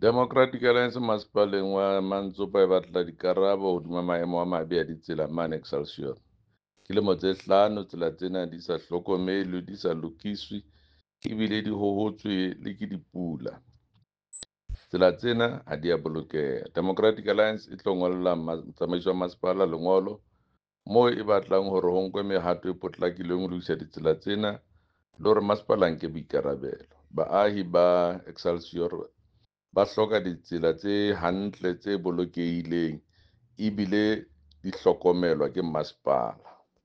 Democratic Alliance masepaleng wa Mantsopa e batla dikarabo hodima maemo a mabe a ditsela mane Excelsior. Ke lemo tse 5 tsela tsena di sa hlokomelwe, di sa lokiswe ebile di hohotswe le ke dipula. Tsela tsena ha di a bolokeha. Democratic Alliance e tlo ngolla tsamaiso ya masepala lengolo moo e batlang hore ho nkwe mehato e potlakileng ho lokisa ditsela tsena le hore masepala a nke boikarabelo. Baahi ba Excelsior ba hloka ditsela tse hantle, tse bolokehileng ebile di hlokomelwa ke masepala.